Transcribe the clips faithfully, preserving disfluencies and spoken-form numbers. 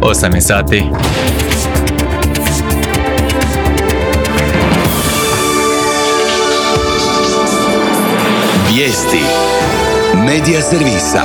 osam je sati. Vijesti Medija servisa.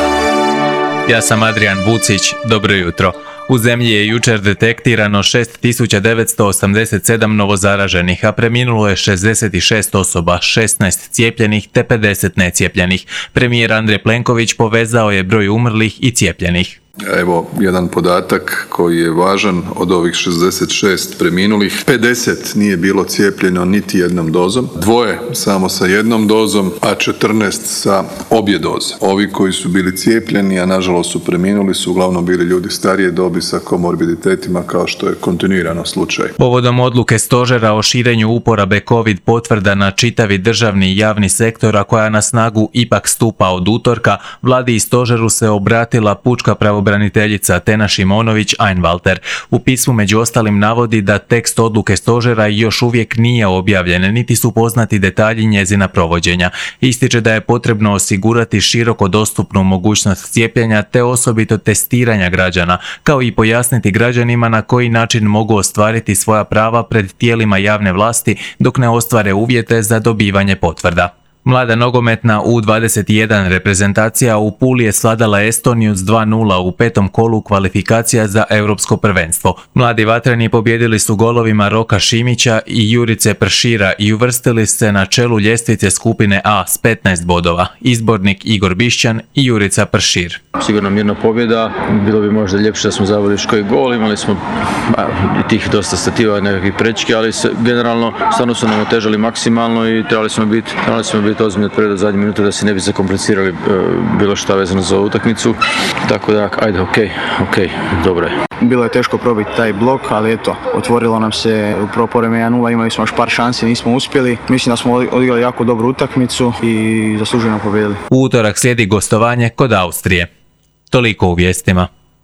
Ja sam Adrian Vucić, dobro jutro. U zemlji je jučer detektirano šest tisuća devetsto osamdeset sedam novozaraženih, a preminulo je šezdeset šest osoba, šesnaest cijepljenih te pedeset necijepljenih. Premijer Andrej Plenković povezao je broj umrlih i cijepljenih. Evo jedan podatak koji je važan, od ovih šezdeset šest preminulih, pedeset nije bilo cijepljeno niti jednom dozom, dvoje samo sa jednom dozom, a četrnaest sa obje doze. Ovi koji su bili cijepljeni, a nažalost su preminuli, su uglavnom bili ljudi starije dobi sa komorbiditetima, kao što je kontinuirano slučaj. Povodom odluke stožera o širenju uporabe COVID potvrda na čitavi državni i javni sektor, a koja na snagu ipak stupa od utorka, vladi i stožeru se obratila pučka pravobraniteljica Braniteljica Tena Šimonović-Einwalter. U pismu među ostalim navodi da tekst odluke stožera još uvijek nije objavljen, niti su poznati detalji njezina provođenja. Ističe da je potrebno osigurati široko dostupnu mogućnost cijepljenja te osobito testiranja građana, kao i pojasniti građanima na koji način mogu ostvariti svoja prava pred tijelima javne vlasti dok ne ostvare uvjete za dobivanje potvrda. Mlada nogometna U dvadeset jedan reprezentacija u Puli je svladala Estoniju s dva nula u petom kolu kvalifikacija za europsko prvenstvo. Mladi vatreni pobijedili su golovima Roka Šimića i Jurice Pršira i uvrstili se na čelu ljestvice skupine A s petnaest bodova. Izbornik Igor Bišćan i Jurica Pršir. Sigurno mirna pobjeda, bilo bi možda ljepše da smo zaveli još koji gol, imali smo i tih dosta stativa, nekakvih prečki, ali se, generalno stvarno su nam otežali maksimalno i trebali smo biti, trebali smo biti ozbiljni od prve do zadnje minute da se ne bi zakomplicirali e, bilo šta vezano za utakmicu, tako da ajde, ok, ok, dobro je. Bilo je teško probiti taj blok, ali eto, otvorilo nam se u prvo povreme jedan nula, imali smo još par šansi, nismo uspjeli. Mislim da smo odigrali jako dobru utakmicu i zasluženo pobijedili. U utorak slijedi gostovanje kod Austrije. Toliko u vijestima.